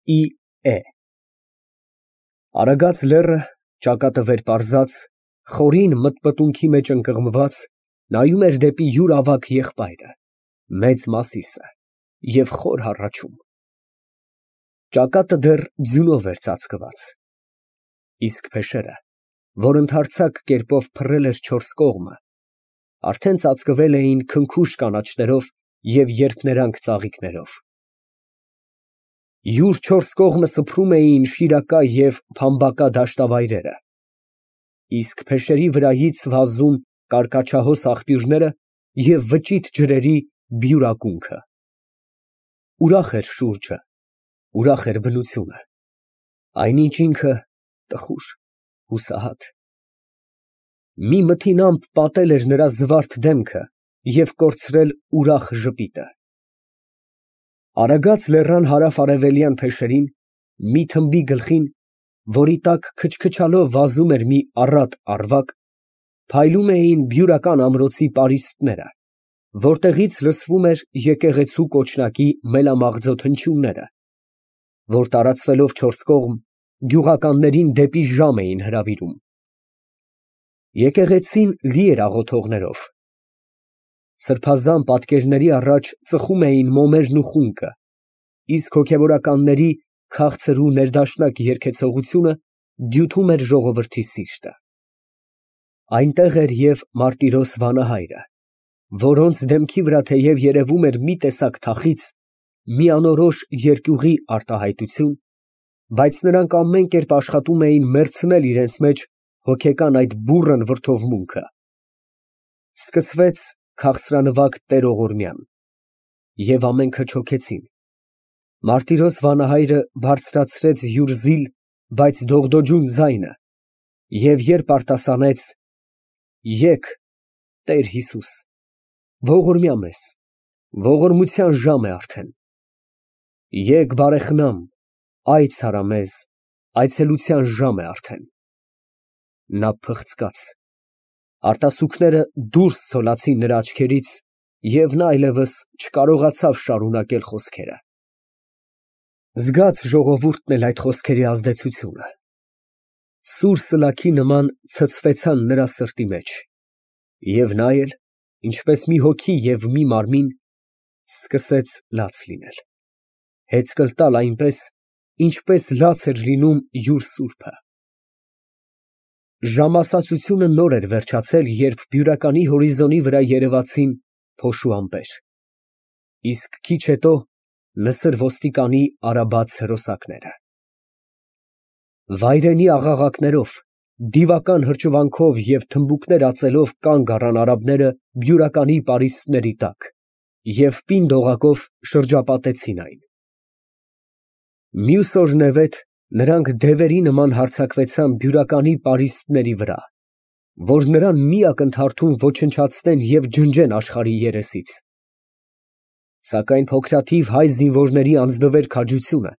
Է Արագած լեռը, ճակատը վեր պարզած, խորին մթմթունքի մեջ ընկղմված, նայում էր դեպի յուր ավագ եղբայրը, Մեծ Մասիսը, և խոր հառաչում. ճակատը դեռ ձյունով էր ծածկված, իսկ փեշերը, որ ընդարձակ կերպով փռել էր չորս կողմը, արդեն ծածկվել էին քնքուշ կանաչներով և երփներանգ ծաղիկներով։ Յուր չորս կողմը սփռում էին շիրակա և փամբակա դաշտավայրերը, իսկ փեշերի վրայից վազում կարկաչահոս աղբյուրները և վճիտ ջրերի բյուր ակունքը։ Ուրախ էր շուրջը, ուրախ էր բնությունը, այնինչ ինքը տխուր, հուսահատ։ Մի մթին ամպ պատել էր նրա զվարթ դեմքը և կորցրել ուրախ ժպիտը։ Արագած լեռան հարավ֊արևելյան փեշերին, մի թմբի գլխին, որի տակ քչքչալով վազում էր մի առատ ավագ, փայլում էին բյուրական ամրոցի պարիսպները, որտեղից լսվում էր եկեղեցու կոչնակի մելամաղձոտ հնչյունները, որ տարածվելով չորս կողմ, գյուղականներին դեպի ժամ էին հրավիրում։ Եկեղեցին լի էր աղոթողներով։ Սրբազան պատկերների առաջ ծխում էին մոմերն ու խունկը, իսկ հոգևորականների քաղցր ու ներդաշնակ երգեցողությունը դյութում էր ժողովրդի սիրտը։ Այնտեղ էր և Մարտիրոս վանահայրը, որոնց դեմքի վրա թեև երևում էր մի տեսակ թախիծ, մի անորոշ երկյուղի արտահայտություն, բայց նրանք ամեն կերպ աշխատում էին մեռցնել իրենց մեջ հոգեկան այդ բուռն վրդովմունքը։ Սկսվեց քաղցրանվագ տերողորմյան, և ամենքը չոքեցին։ Մարտիրոս վանահայրը բարձրացրեց յուր զիլ, բայց դողդոջուն ձայնը և երբ արտասանեց. «Եկ, Տեր Հիսուս, ողորմյա մեզ, ողորմության ժամ է արդեն, եկ բարեխնամ, այց արա մեզ, այցելության ժամ է արդեն», նա փղծկաց, արտասուքները դուրս ցոլացին նրա աչքերից, և նա այլևս չկարողացավ շարունակել խոսքերը։ Զգաց ժողովուրդն էլ այդ խոսքերի ազդեցությունը, սուր սլաքի նման ցցվեցան նրա սրտի մեջ, և նա էլ, ինչպես մի հոգի և մի մարմին, սկսեց լաց լինել, հեծկլ տալ այնպես, ինչպես լաց էր լինում յուր սուրբը։ Ժամասացությունը նոր էր վերջացել, երբ բյուրականի հորիզոնի վրա երևացին փոշու ամպեր, իսկ քիչ հետո նսր ոստիկանի արաբաց հրոսակները։ Վայրենի աղաղակներով, դիվական հրճվանքով և թմբուկներ ածելով կանգ առան արաբները բյուրականի պարիսպների տակ և պինդ օղակով շրջապատեցին այն։ Մյուս օրնևեթ նրանք դևերի նման հարձակվեցան բյուրականի պարիսպների վրա, որ նրան մի ակնթարթում ոչնչացնեն և ջնջեն աշխարհի երեսից։ Սակայն փոքրաթիվ հայ զինվորների անձնվեր քաջությունը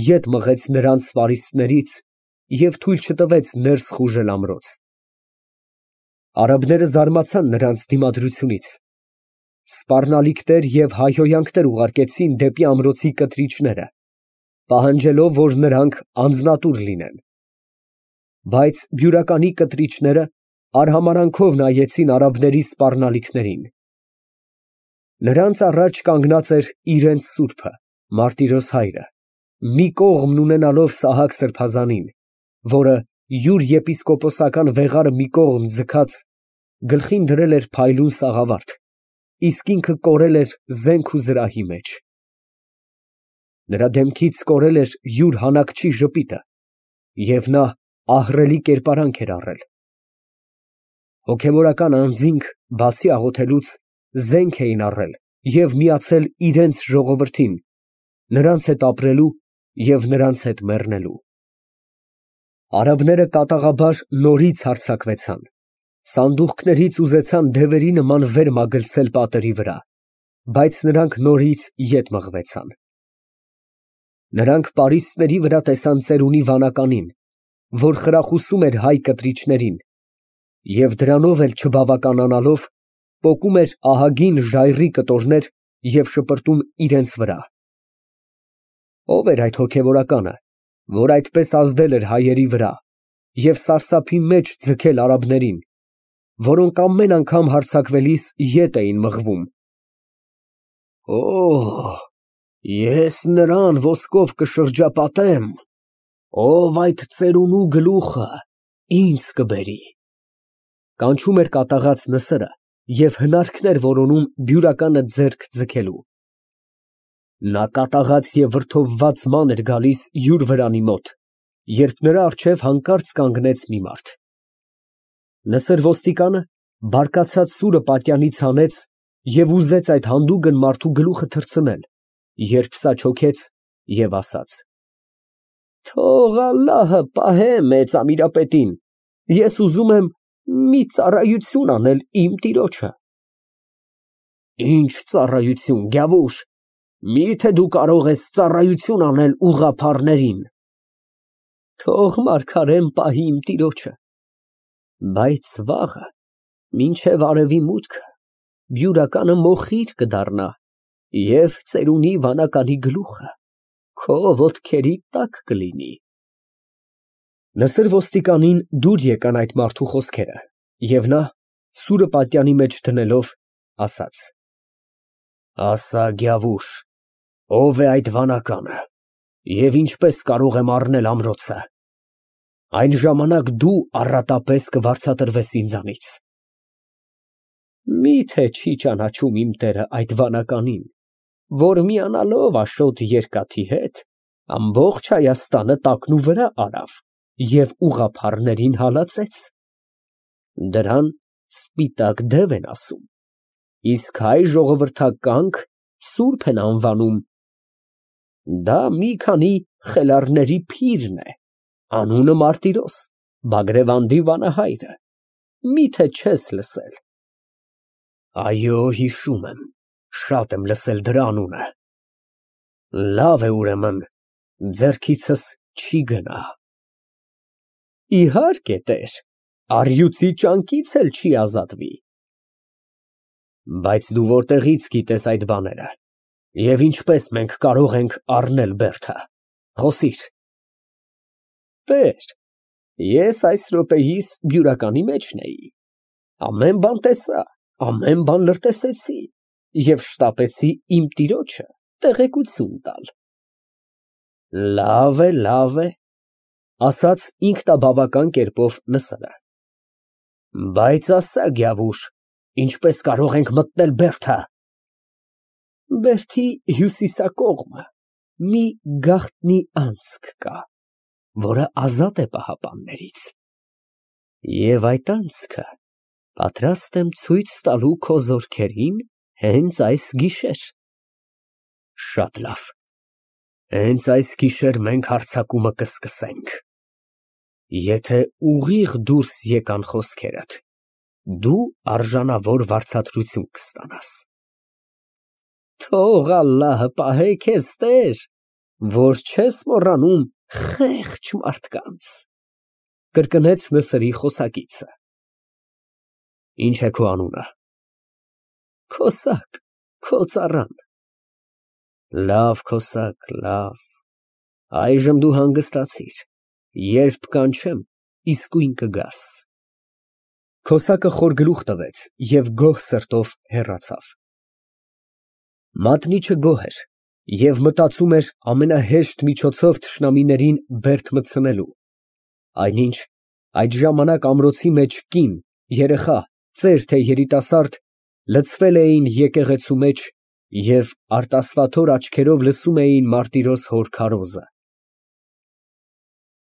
ետ մղեց նրանց պարիսպներից և թույլ չտվեց ներս խուժել ամրոց։ Արաբները զարմացան նրանց դիմադրությունից, սպառնալիքներ և հայհոյանքներ ուղարկեցին դեպի ամրոցի կտրիչները, պահանջելով, որ նրանք անձնատուր լինեն։ Բայց բյուրականի կտրիչները արհամարհանքով նայեցին արաբների սպառնալիքներին։ Նրանց առաջ կանգնած էր իրենց սուրբը, Մարտիրոս հայրը, մի կողմն ունենալով Սահակ սրբազանին, որը յուր եպիսկոպոսական վեղարը մի կողմ ձգած, գլխին դրել էր փայլուն սաղավարտ, իսկ ինքը կորել էր զենք ու զրահի մեջ։ Նրա դեմքից կորել էր յուր հանակչի ժպիտը, և նա ահռելի կերպարանք էր առել։ Հոգևորական անձինք, բացի աղոթելուց, զենք էին առել և միացել իրենց ժողովրդին, նրանց հետ ապրելու և նրանց հետ մեռնելու։ Արաբները կատաղաբար նորից հարձակվեցան, սանդուղքներից ուզեցան դևերի նման վեր մագլցել պատերի վրա, բայց նրանք նորից ետ մղվեցան։ Նրանք պարիսպների վրա տեսան ծերունի վանականին, որ խրախուսում էր հայ կտրիչներին և դրանով էլ չբավականանալով, պոկում էր ահագին ժայռի կտորներ և շպրտում իրենց վրա։ Ո՞վ էր այդ հոգևորականը, որ այդպես ազդել էր հայերի վրա և սարսափի մեջ ձգել արաբներին, որոնք ամեն անգամ հարձակվելիս ետ էին մղվում։ Օ, ես նրան ոսկով կշրջապատեմ, ով այդ ծերունու գլուխը ինձ կբերի։ Կանչում էր կատաղած Նսրը և հնարքներ որոնում բյուրականը ձեռք ձգելու։ Նա կատաղած և վրդովված ման էր գալիս յուր վրանի մոտ, երբ նրա առջև հանկարծ կանգնեց մի մարդ։ Նսր ոստիկանը բարկացած սուրը պատյանից հանեց և ուզեց այդ հանդուգն մարդու գլուխը թռցնել, երբ սա չոքեց և ասաց. «Թող Ալլահը պահե մեծ ամիրապետին, ես ուզում եմ մի ծառայություն անել իմ տիրոջը»։ Ինչ ծառայություն, գյավուշ, մի՞թե դու կարող ես ծառայություն անել ուղղափառներին։ Թող մարգարեն պահի իմ տիրոջը, բայց վաղը, մինչև արևի մուտքը, բյուրականը մոխիր կդառնա և ծերունի վանականի գլուխը քո ոտքերի տակ կլինի։ Նսր ոստիկանին դուր եկան այդ մարդու խոսքերը, և նա, սուրը պատյանի մեջ դնելով, ասաց. «Ասա, գյավուշ, ո՞վ է այդ վանականը և ինչպես կարող եմ առնել ամրոցը։ Այն ժամանակ դու առատապես կվարձատրվես ինձանից»։ Մի՞թե չի ճանաչում իմ տերը այդ վանականին, որ միանալով Աշոտ երկաթի հետ, ամբողջ Հայաստանը տակնուվրա արավ և ուղղափառներին հալածեց։ Դրան սպիտակ դև են ասում, իսկ հայ ժողովրդականք սուրբ են անվանում։ Դա մի քանի խելառների փիրն է, անունը Մարտիրոս, Բագրևանդի վանահայրը, մի՞թե չես լսել։ Այո, հիշում եմ, շատ եմ լսել դրա անունը։ Լավ է, ուրեմն, ձեռքիցս չի գնա։ Իհարկե, տեր, առյուծի ճանկից էլ չի ազատվի։ Բայց դու որտեղից գիտես այդ բաները և ինչպես մենք կարող ենք առնել բերդը, խոսիր։ Տեր, ես այս րոպեիս բյուրականի մեջն էի, ամեն բան տեսա, ամեն բան լրտեսեցի և շտապեցի իմ տիրոջը տեղեկություն տալ։ Լավ է, ասաց ինքնաբավական կերպով Նսրը, բայց ասա, գյավուշ, ինչպես կարող ենք մտնել բերդը։ Բերդի հյուսիսակողմը մի գաղտնի անցք կա, որը ազատ է պահապաններից, և այդ անցքը պատրաստ եմ ցույց տալու քո զորքերին հենց այս գիշեր։ Շատ լավ, հենց այս գիշեր մենք հարձակումը կսկսենք։ Եթե ուղիղ դուրս եկան խոսքերդ, դու արժանավոր վարձատրություն կստանաս։ Թող Ալլահը պահե քեզ, տեր, որ չես մոռանում խեղճ մարդկանց, կրկնեց Նսրի խոսակիցը։ Ինչ է քո անունը։ Քոսակ, քո ծառան։ Լավ, Քոսակ, լավ, այժմ դու հանգստացիր, երբ կանչեմ, իսկույն կգաս։ Քոսակը խոր գլուխ տվեց և գոհ սրտով հեռացավ։ Մատնիչը գոհ էր և մտածում էր ամենահեշտ միջոցով թշնամիներին բերդ մտցնելու, այնինչ այդ ժամանակ ամրոցի մեջ կին, երեխա, ծեր թե երիտասարդ լցվել էին եկեղեցու մեջ և արտասվաթոր աչքերով լսում էին Մարտիրոս հոր քարոզը։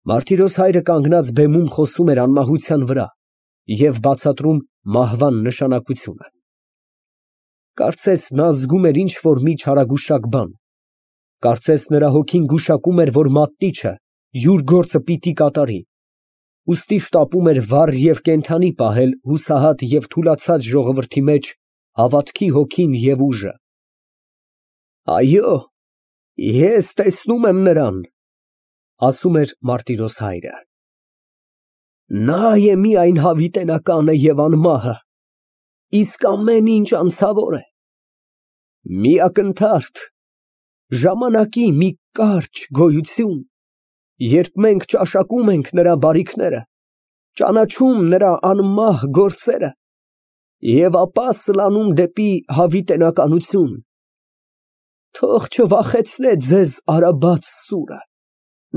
Մարտիրոս հայրը կանգնած բեմում խոսում էր անմահության վրա և բացատրում մահվան նշանակությունը։ Կարծես նա զգում էր ինչ֊որ մի չարագուշակ բան, կարծես նրա հոգին գուշակում էր, որ մատնիչը յուր գործը պիտի կատարի, ուստի շտապում էր վառ և կենդանի պահել հուսահատ և թուլացած ժողովրդի մեջ հավատքի հոգին և ուժը։ Այո, ես տեսնում եմ նրան, ասում էր Մարտիրոս հայրը։ Նա է միայն հավիտենականը և անմահը, իսկ ամեն ինչ անցավոր է։ Մի ակնթարթ, ժամանակի մի կարճ գոյություն, երբ մենք ճաշակում ենք նրա բարիքները, ճանաչում նրա անմահ գործերը և ապա սլանում դեպի հավիտենականություն, թող չվախեցնե ձեզ արաբած սուրը,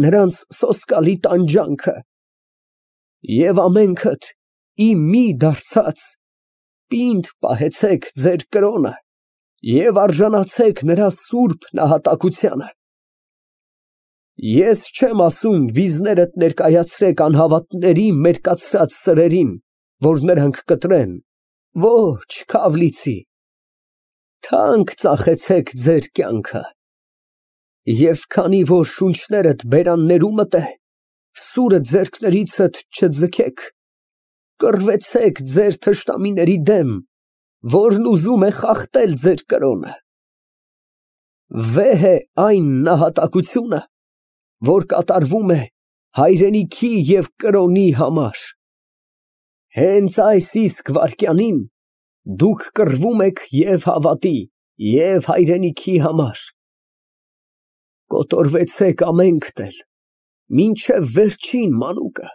նրանց սոսկալի տանջանքը, և ամենքդ իմի դարձած պինդ պահեցեք ձեր կրոնը և արժանացեք նրա սուրբ նահատակությանը։ Ես չեմ ասում վիզներդ ներկայացրեք անհավատների մերկացրած սրերին, որ նրանք կտրեն, ոչ, քավլիցի, թանկ ծախեցեք ձեր կյանքը, և քանի որ շունչներդ բերաններումդ է, սուրը ձեռքներիցդ չձգեք, կռվեցեք ձեր թշնամիների դեմ, որն ուզում է խախտել ձեր կրոնը։ Վեհ է այն նահատակությունը, որ կատարվում է հայրենիքի և կրոնի համար։ Հենց այս իսկ վայրկյանին դուք կռվում եք և հավատի, և հայրենիքի համար։ Կոտորվեցեք ամենքդ էլ, մինչև վերջին մանուկը,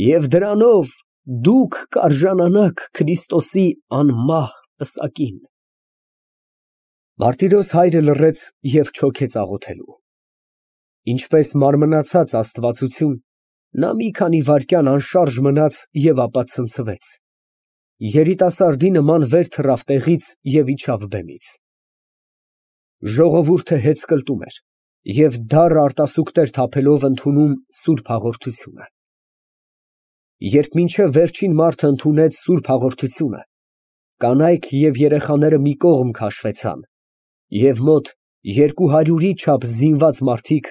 և դրանով դուք կարժանանաք Քրիստոսի անմահ պսակին։ Մարտիրոս հայրը լռեց և չոքեց աղոթելու։ Ինչպես մարմնացած աստվածություն, նա մի քանի վայրկյան անշարժ մնաց և ապա ցնցվեց։ Երիտասարդի նման վեր թռավ տեղից և իջավ բեմից։ Ժողովուրդը հեծկլտում էր և դառը արտասուքներ թափելով ընդունում սուրբ հաղորդությունը։ Երբ մինչև վերջին մարդը ընդունեց սուրբ հաղորդությունը, կանայք և երեխաները մի կողմ քաշվեցան, և մոտ 200-ի չափ զինված մարդիկ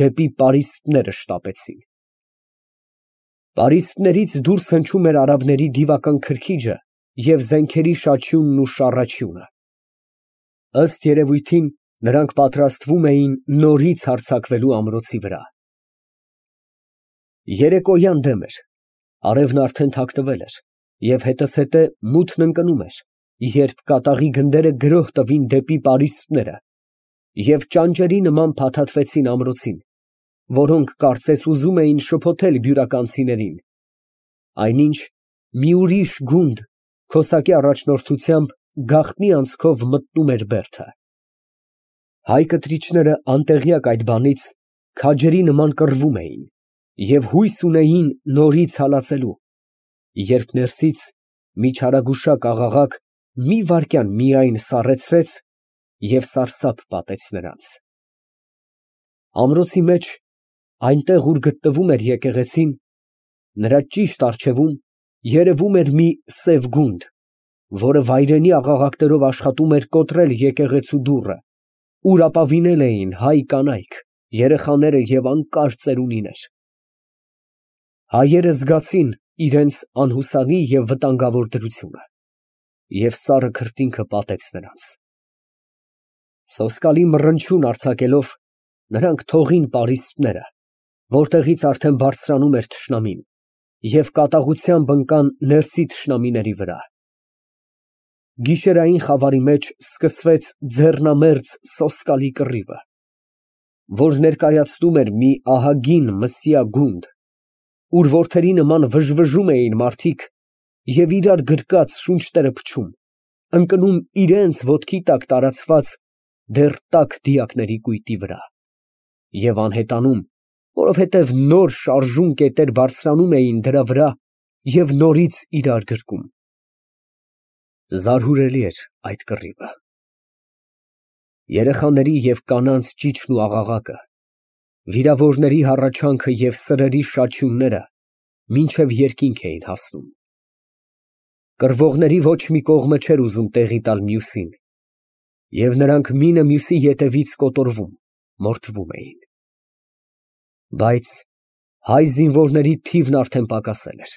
դեպի պարիսպները շտապեցին։ Պարիսպներից դուրս հնչում էր արաբների դիվական քրքիջը և զենքերի շաչյունն ու շառաչյունը։ Ըստ երևույթին, նրանք պատրաստվում էին նորից հարձակվելու ամրոցի վրա։ Երեկոյան դեմ էր, արևն արդեն թաքնվել էր, և հետզհետե մութն ընկնում էր, երբ կատաղի գնդերը գրոհ տվին դեպի պարիսպները և ճանճերի նման փաթաթվեցին ամրոցին, որոնք կարծես ուզում էին շփոթել բյուրականցիներին, այնինչ մի ուրիշ գունդ քոսակի առաջնորդությամբ գաղտնի անցքով մտնում էր բերդը։ Հայ կտրիչները անտեղյակ այդ բանից քաջերի նման կռվում էին և հույս ունեին նորից հալածելու, երբ ներսից մի չարագուշակ աղաղակ մի վայրկյան միայն սառեցրեց և սարսափ պատեց նրանց։ Ամրոցի մեջ, այնտեղ, ուր գտնվում էր եկեղեցին, նրա ճիշտ առջևում երևում էր մի սև գունդ, որը վայրենի աղաղակներով աշխատում էր կոտրել եկեղեցու դուռը, ուր ապավինել էին հայ կանայք, երեխաները և անկար ծերունիներ։ Հայերը զգացին իրենց անհուսալի և վտանգավոր դրությունը, և սառը քրտինքը պատեց նրանց։ Սոսկալի մռնչյուն արձակելով, նրանք թողին պարիսպները, որտեղից արդեն բարձրանում էր թշնամին, և կատաղությամբ ընկան ներսի թշնամիների վրա։ Գիշերային խավարի մեջ սկսվեց ձեռնամերձ սոսկալի կռիվը, որ ներկայացնում էր մի ահագին մսյա գունդ, ուր որդերի նման վժվժում էին մարդիկ և իրար գրկած շունչները փչում, ընկնում իրենց ոտքի տակ տարածված դեռ տաք դիակների կույտի վրա և անհետանում, որովհետև նոր շարժուն կետեր բարձրանում էին դրա վրա և նորից իրար գրկում։ Զարհուրելի էր այդ կռիվը։ Երեխաների և կանանց ճիչն ու աղաղակը, վիրավորների հառաչանքը և սրերի շաչյունները մինչև երկինք էին հասնում։ Կռվողների ոչ մի կողմը չէր ուզում տեղի տալ մյուսին, և նրանք մինը մյուսի ետևից կոտորվում, մորթվում էին։ Բայց հայ զինվորների թիվն արդեն պակասել էր,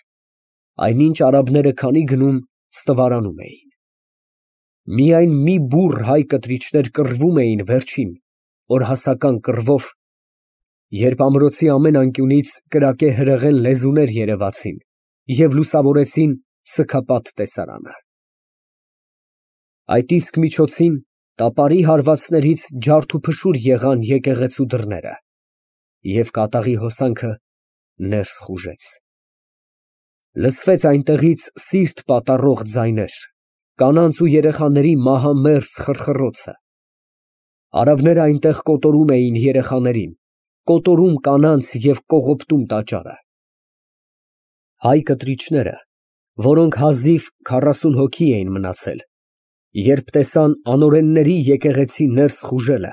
այնինչ արաբները քանի գնում ստվարանում էին։ Միայն մի բուռ հայ կտրիչներ կռվում էին վերջին, օրհասական կռվով, երբ ամրոցի ամեն անկյունից կրակե հրեղեն լեզուներ երևացին և լուսավորեցին սգապատ տեսարանը։ Այդ իսկ միջոցին Տապարի հարվածներից ջարդ ու փշուր եղան եկեղեցու դռները, և կատաղի հոսանքը ներս խուժեց։ Լսվեց այնտեղից սիրտ պատառող ձայներ, կանանց ու երեխաների մահամերձ խռխռոցը։ Արաբները այնտեղ կոտորում էին երեխաներին, կոտորում կանանց և կողոպտում տաճարը։ Հայ կտրիչները, որոնք հազիվ 40 հոգի էին մնացել, երբ տեսան անօրենների եկեղեցի ներս խուժելը,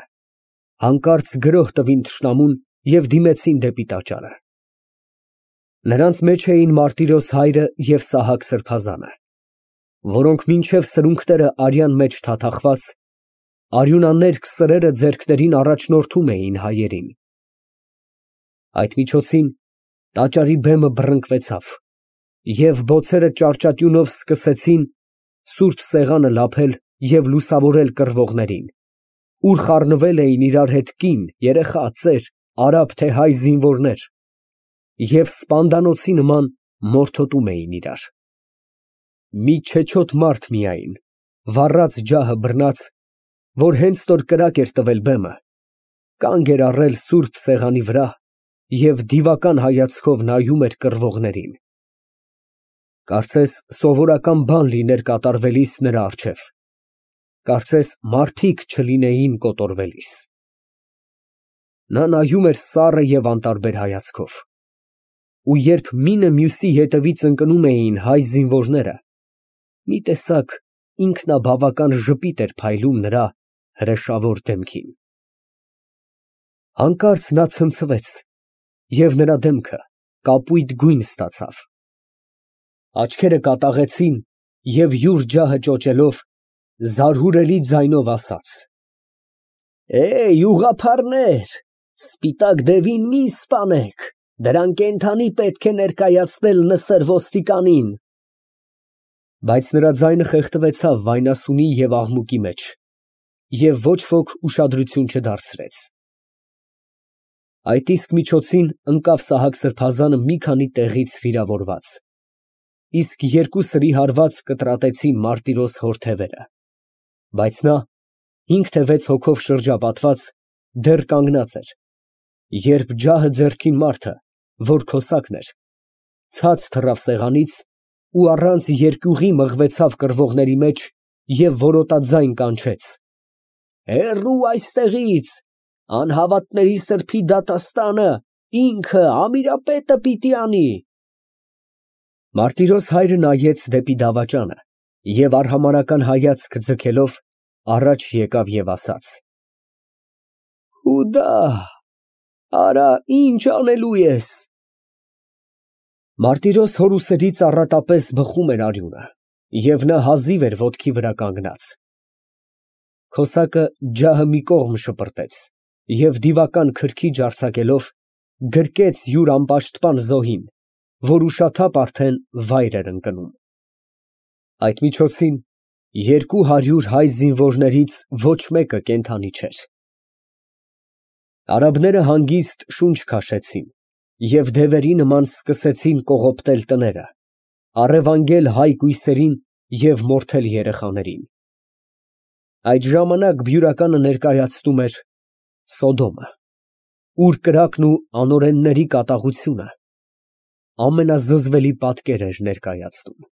հանկարծ գրոհ տվին թշնամուն և դիմեցին դեպի տաճարը։ Նրանց մեջ էին Մարտիրոս հայրը և Սահակ սրբազանը, որոնք մինչև սրունքները արյան մեջ թաթախված, արյունաներկ սրերը ձեռքներին առաջնորդում էին հայերին։ Այդ միջոցին տաճարի բեմը բռնկվեցավ, և բոցերը ճարճատյունով սկսեցին սուրբ սեղանը լափել և լուսավորել կռվողներին, ուր խառնվել էին իրար հետ կին, երեխա, ծեր, արաբ թե հայ զինվորներ և սպանդանոցի նման մորթոտում էին իրար։ Մի չեչոտ մարդ միայն, վառած ջահը բռնած, որ հենց նոր կրակ էր տվել բեմը, կանգ էր առել սուրբ սեղանի վրա և դիվական հայացքով նայում էր կռվողներին։ Կարծես սովորական բան լիներ կատարվելիս նրա առջև, կարծես մարդիկ չլինեին կոտորվելիս։ Նա նայում էր սառը և անտարբեր հայացքով, ու երբ մինը մյուսի ետևից ընկնում էին հայ զինվորները, մի տեսակ ինքնաբավական ժպիտ էր փայլում նրա հրեշավոր դեմքին։ Հանկարծ նա ցնցվեց, և նրա դեմքը կապույտ գույն ստացավ։ Աչքերը կատաղեցին և յուր ջահը ճոճելով, զարհուրելի ձայնով ասաց. Ուղղափառներ, սպիտակ դևին մի սպանեք, դրան կենդանի պետք է ներկայացնել Նսր ոստիկանին։ Բայց նրա ձայնը խեղդվեցավ վայնասունի և աղմուկի մեջ, և ոչ ոք ուշադրություն չդարձրեց։ Այդ իսկ միջոցին ընկավ Սահակ սրբազանը մի քանի տեղից վիրավորված, իսկ երկու սրի հարված կտրատեցին Մարտիրոս հոր թևերը, բայց նա, 5 թե 6 հոգով շրջապատված, դեռ կանգնած էր, երբ ջահը ձեռքին մարդը, որ քոսակն էր, ցած թռավ սեղանից ու առանց երկյուղի մղվեցավ կռվողների մեջ և որոտաձայն կանչեց. Հեռու այստեղից, անհավատների սրբի դատաստանը ինքը Ամիրապետը պիտի անի։ Մարտիրոս հայրը նայեց դեպի դավաճանը և արհամարհական հայացք ձգելով առաջ եկավ և ասաց. արա, ինչ անելու ես։ Մարտիրոս հոր ուսերից առատապես բխում էր արյունը, և նա հազիվ էր ոտքի վրա կանգնած։ Քոսակը ջահը մի կողմ շպրտեց և դիվական քրքիջ արձակելով, գրկեց յուր անպաշտպան զոհին, որ ուշաթափ արդեն վայր էր ընկնում։ Այդ միջոցին 200 հայ զինվորներից ոչ մեկը կենդանի չէր։ Արաբները հանգիստ շունչ քաշեցին և դևերի նման սկսեցին կողոպտել տները, առևանգել հայ կույսերին և մորթել երեխաներին։ Այդ ժամանակ բյուրականը ներկայացնում էր Սոդոմը, ուր կրակն ու անօրենների կատաղությունը ամենազզվելի պատկեր էր ներկայացնում։